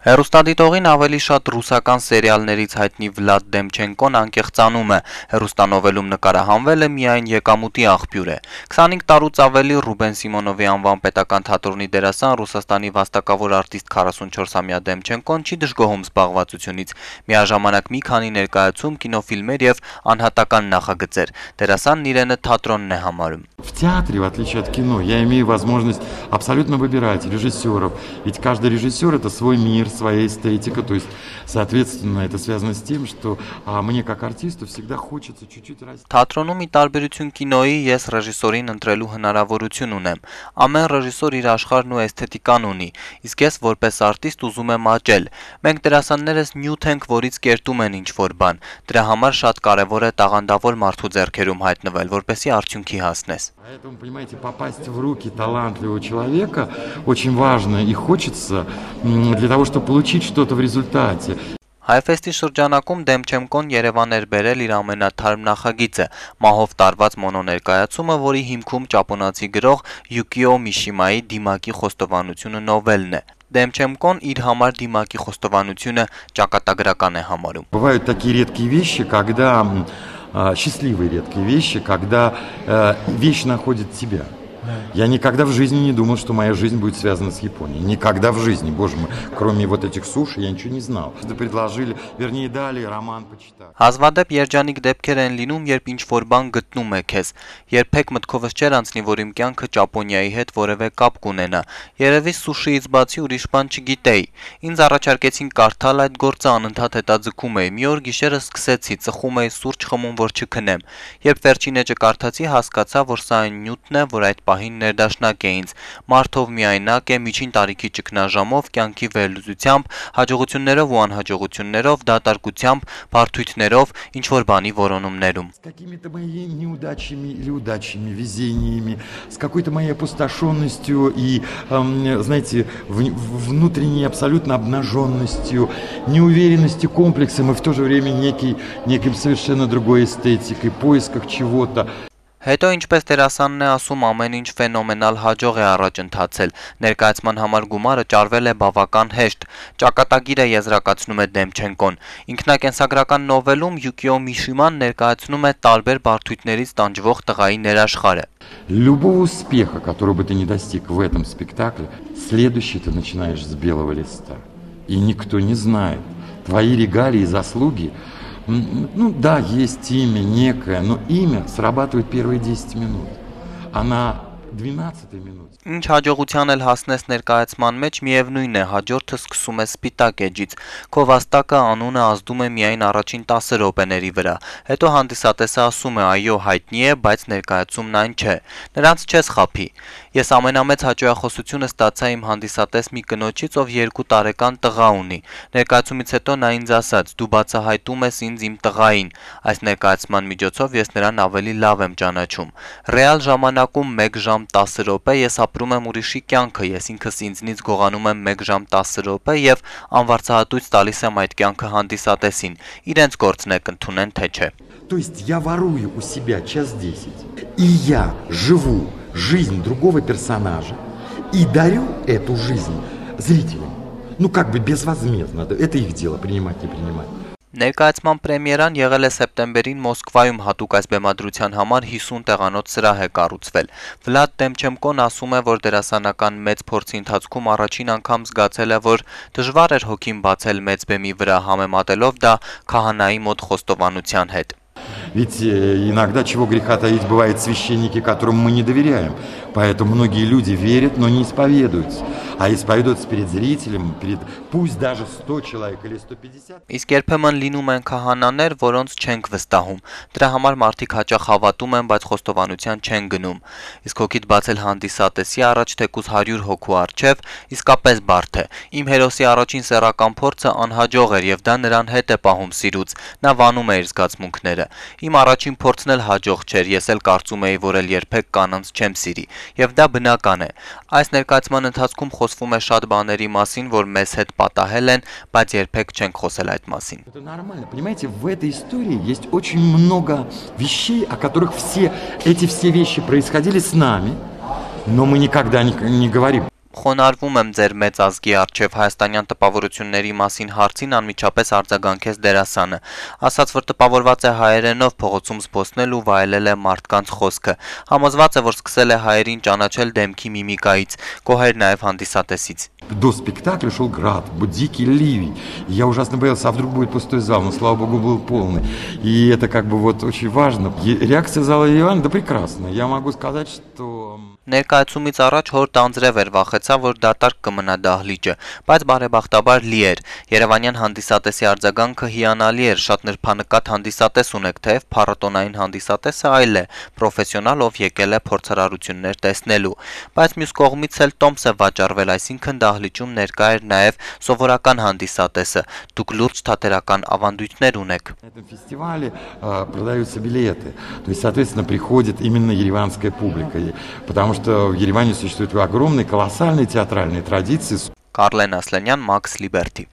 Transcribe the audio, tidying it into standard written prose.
Հեռուստադիտողին ավելի շատ ռուսական սերիալներից հայտնի Վլադ Դեմչենկոն անկեղծանում է, հեռուստանովելում նկարահանվելը միայն եկամուտի աղբյուր է։ 25 տարուց ավելի Ռուբեն Սիմոնովի անվան պետական թատրոնի դերասան, Ռուսաստանի վաստակավոր արտիստ 44-ամյա Դեմչենկոն չի դժգոհում զբաղվածությունից, միաժամանակ մի քանի ներկայացում, կինոֆիլմեր եւ անհատական նախագծեր։ Դերասանն իրենը թատրոնն է համարում։ В театре, в отличие от кино, я имею возможность абсолютно выбирать режиссеров. Ведь каждый режиссер — это свой мир, своя эстетика. То есть, соответственно, это связано с тем, что мне, как артисту, всегда хочется чуть-чуть расти. Թատրոնում ի տարբերություն կինոյի ես ռեժիսորին ընտրելու հնարավորություն ունեմ։ Ամեն ռեժիսոր իր աշխարհն ու էսթետիկան ունի, իսկ ես որպես արտիստ ուզում եմ աճել։ Մենք դերասաններս նյութ ենք, որից կերտում են ինչ-որ բան։ Դրա համար շատ կարևոր է տաղանդավոր մարդու ձեռքերում հայտնվել, որպեսզի արդյունքի հասնես։ Поэтому, понимаете, попасть в руки талантливого человека очень важно и хочется для того, чтобы получить что-то в результате. Հայֆեստի շրջանակում Դեմչենկոն Երևան էր բերել իր ամենաթարմ նախագիծը՝ մահով տարված մոնոներկայացումը, որի հիմքում ճապոնացի գրող Յուկիո Միշիմայի «Դիմակի խոստովանությունը» նովելն է։ Դեմչենկոն իր համար Դիմակի խոստովանությունը ճակատագրական է համարում։ Бывают такие редкие вещи, когда счастливые редкие вещи, когда вещь находит тебя. Я никогда в жизни не думал, что моя жизнь будет связана с Японией. Никогда в жизни, боже мой. Кроме вот этих суши я ничего не знал. Предложили, вернее, дали роман почитать. Հազվադեպ երջանիկ դեպքեր են լինում, երբ ինչ-որ բան գտնում է քեզ։ Երբեք մտքովս չէր անցնի, որ իմ կյանքը Ճապոնիայի հետ որևէ կապ կունենա։ Երևի սուշիից բացի ուրիշ բան չգիտեի։ Ինձ առաջարկեցին կարդալ այդ գործը, անընդհատ հետաձգում էի։ Մի օր գիշերը սկսեցի, ծխում էի սուրճ խմում, որ չքնեմ։ Երբ վերջին էջը կարդացի, հասկացա, որ սա այն նյութն է, որ այդ պահին ներդաշնակ է ինձ, մարդով միայնակ է, միջին տարիքի ճգնաժամով, կյանքի վերլուծությամբ, հաջողություններով ու անհաջողություններով, դատարկությամբ, բարդույթներով, ինչ-որ бани որոնումներում։ С какими-то моими неудачами или удачами, везениями, с какой-то моей опустошенностью и, знаете, внутренней абсолютно обнаженностью, неуверенностью, комплексом и в то же время неким совершенно другой эстетикой, поисках чего-то. Հետո ինչպես դերասանն է ասում, ամեն ինչ ֆենոմենալ հաջող է առաջ ընթացել, ներկայացման համար գումարը ճարվել է բավական հեշտ, ճակատագիր է եզրակացնում է Դեմչենկոն, ինքնակենսագրական նովելում Յուկիո Միշիման ներկայացնում է տարբեր բարդույթներից տանջվող տղայի ներաշխարը։ Любого успеха, который бы ты не достиг в этом спектакле, следующий ты начинаешь с белого листа. И никто не знает. Твои регалии и заслуги. Ну да, есть имя некое, но имя срабатывает первые 10 минут, а на 12-й минуте. Ինչ հաջողության էլ հասնես ներկայացման մեջ, միևնույն է, հաջորդը սկսում է սպիտակ էջից։ Քո վաստակը անունը ազդում է միայն առաջին 10 րոպեների վրա։ Հետո հանդիսատեսը ասում է, այո, հայտնի է, բայց ներկայացումն այն չէ։ Նրանց չես խաբի։ Ես ամենամեծ հաճոյախոսությունը ստացա իմ հանդիսատես մի կնոջից, ով 2 տարեկան տղա ունի։ Ներկայացումից հետո նա ինձ ասաց. «Դու բացահայտում ես ինձ իմ տղային»։ Այս ներկայացման միջոցով ես նրան ավելի լավ եմ ճանաչում։ Ռեալ ժամանակում 1 ժամ 10 րոպե ես ապրում եմ ուրիշի կյանքը, ես ինքս ինձնից գողանում եմ 1 ժամ 10 րոպե եւ անվարձահատույց տալիս եմ այդ կյանքը հանդիսատեսին։ Իրենց գործն է կընդունեն թե չէ։ То есть я ворую у себя час 10, и я живу жизнь другого персонажа и дарю эту жизнь зрителям. Ну как бы безвозмездно, это их дело принимать, не принимать. Ներկայացման պրեմիերան եղել է սեպտեմբերին Մոսկվայում հատուկ այս բեմադրության համար 50 տեղանոց սրահ է կառուցվել։ Վլադ Դեմչենկոն ասում է, որ դերասանական մեծ փորձի ընթացքում առաջին անգամ զգացել է, որ դժվար էր հոգին բացել մեծ բեմի վրա, համեմատելով դա քահանայի մոտ խոստովանության հետ։ Ведь иногда, чего греха таить, бывают священники, которым мы не доверяем. Поэтому многие люди верят, но не исповедуются. А исповедуются перед зрителем, пусть даже 100 человек или 150. Իսկ երբեմն լինում են քահանաներ, որոնց չենք վստահում։ Դրա համար մարդիկ հաճախ հավատում են, բայց խոստովանության չեն գնում։ Իսկ հոգիդ բացել հանդիսատեսի առաջ թեկուզ 100 հոգու առջև իսկապես բարդ է։ Իմ հերոսի առաջին սեռական փորձը անհաջող էր եւ դա նրան հետ է պահում սիրուց։ Նա վանում է իր զգացմունքները։ Իմ առաջին փորձն էլ հաջող չէր, ես էլ կարծում էի, որ էլ երբեք կանանց չեմ սիրի, եւ դա բնական է։ Այս ներկայացման ընթացքում խոսվում է շատ баների մասին, որ մեզ հետ պատահել են, բայց երբեք չենք խոսել այդ մասին։ Это нормально, понимаете, в этой истории есть очень много вещей, о которых все вещи происходили с нами, но мы никогда не говорим. Խոնարհվում եմ ձեր մեծ ազգի առջև հայաստանյան տպավորությունների մասին հարցին անմիջապես արձագանքեց դերասանը, ասաց, որ տպավորված է հայերենով փողոցում զբոսնել ու վայելել է մարդկանց խոսքը, համոզված է, որ սկսել է հայերին ճանաչել դեմքի միմիկայից, գոհեր նաև հանդիսատեսից. До спектакля шел град, был дикий ливень. Я ужасно боялся, а вдруг будет пустой зал, но, слава богу, был полный. И это как бы вот очень важно. Реакция зала Еревана, да прекрасная. Я могу сказать, что... Ներկայացումից առաջ հոր տանձրև էր, վախեցա, որ դատարկ կմնա դահլիճը, բայց բարեբախտաբար լի էր։ Երևանյան հանդիսատեսի արձագանքը հիանալի էր, շատ նրբանկատ հանդիսատես ունեք, թեև փառատոնային հանդիսատեսը այլ է, պրոֆեսիոնալ, ով եկել է փորձարարություններ տեսնելու, բայց մյուս կողմից էլ տոմս է վաճառվել, այսինքն դահլիճում ներկա էր նաև սովորական հանդիսատեսը, դուք լուրջ թատերական ավանդույթներ ունեք։ На этом фестивале продаются билеты, то есть, соответственно, приходит именно ереванская публика, потому что в Ереване существуют огромные, колоссальные театральные традиции. Կարլեն Ասլանյան, Մաքս Լիբերթի։